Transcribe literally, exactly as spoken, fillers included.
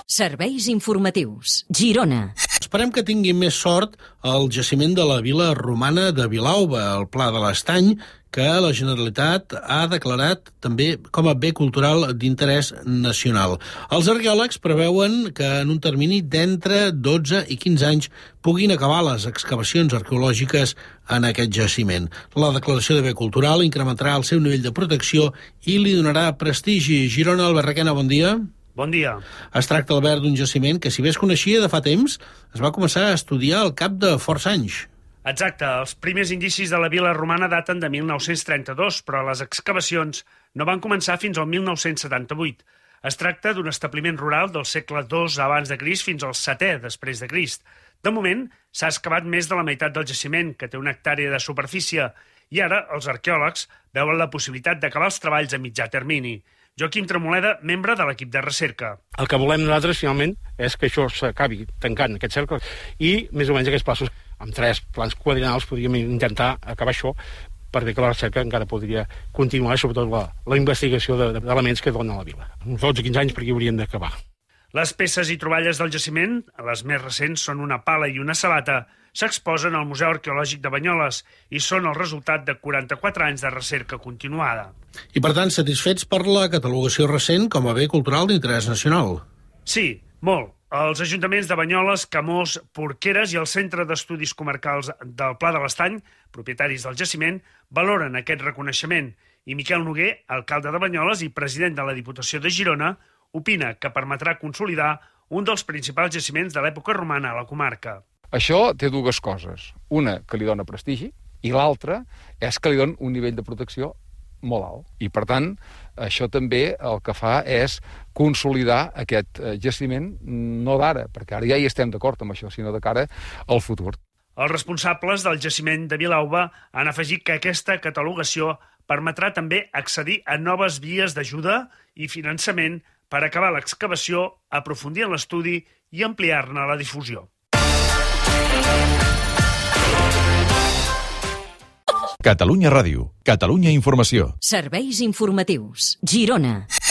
Serveis informatius. Girona. Esperem que tingui més sort el jaciment de la vila romana de Vilalba, el Pla de l'Estany, que la Generalitat ha declarat també com a bé cultural d'interès nacional. Els arqueòlegs preveuen que en un termini d'entre dotze i quinze anys puguin acabar les excavacions arqueològiques en aquest jaciment. La declaració de bé cultural incrementarà el seu nivell de protecció i li donarà prestigi. Girona, Albert Requena, bon dia. Bon dia. Es tracta, Albert, d'un jaciment que, si bé es coneixia de fa temps, es va començar a estudiar al cap de força anys. Exacte. Els primers indicis de la vila romana daten de mil nou-cents trenta-dos, però les excavacions no van començar fins al mil nou-cents setanta-vuit. Es tracta d'un establiment rural del segle dos abans de Crist fins al setè després de Crist. De moment, s'ha excavat més de la meitat del jaciment, que té una hectàrea de superfície, i ara els arqueòlegs veuen la possibilitat d'acabar els treballs a mitjà termini. Joaquim Tremoleda, membre de l'equip de recerca. El que volem nosaltres, finalment, és que això s'acabi tancant aquest cercle i, més o menys, aquests passos, amb tres plans quadrinals, podríem intentar acabar això per bé que la recerca encara podria continuar, sobretot la, la investigació d'elements que dona la vila. Uns dotze o quinze anys perquè hauríem d'acabar. Les peces i troballes del jaciment, les més recents són una pala i una sabata, s'exposen al Museu Arqueològic de Banyoles i són el resultat de quaranta-quatre anys de recerca continuada. I, per tant, satisfets per la catalogació recent com a bé cultural d'interès nacional? Sí, molt. Els ajuntaments de Banyoles, Camós, Porqueres i el Centre d'Estudis Comarcals del Pla de l'Estany, propietaris del jaciment, valoren aquest reconeixement i Miquel Noguer, alcalde de Banyoles i president de la Diputació de Girona, opina que permetrà consolidar un dels principals jaciments de l'època romana a la comarca. Això té dues coses. Una, que li dona prestigi, i l'altra és que li dona un nivell de protecció molt alt. I, per tant, això també el que fa és consolidar aquest jaciment, no d'ara, perquè ara ja hi estem d'acord amb això, sinó de cara al futur. Els responsables del jaciment de Vilalba han afegit que aquesta catalogació permetrà també accedir a noves vies d'ajuda i finançament per acabar l'excavació, aprofundir en l'estudi i ampliar-ne la difusió. Catalunya Ràdio, Catalunya Informació. Serveis informatius. Girona.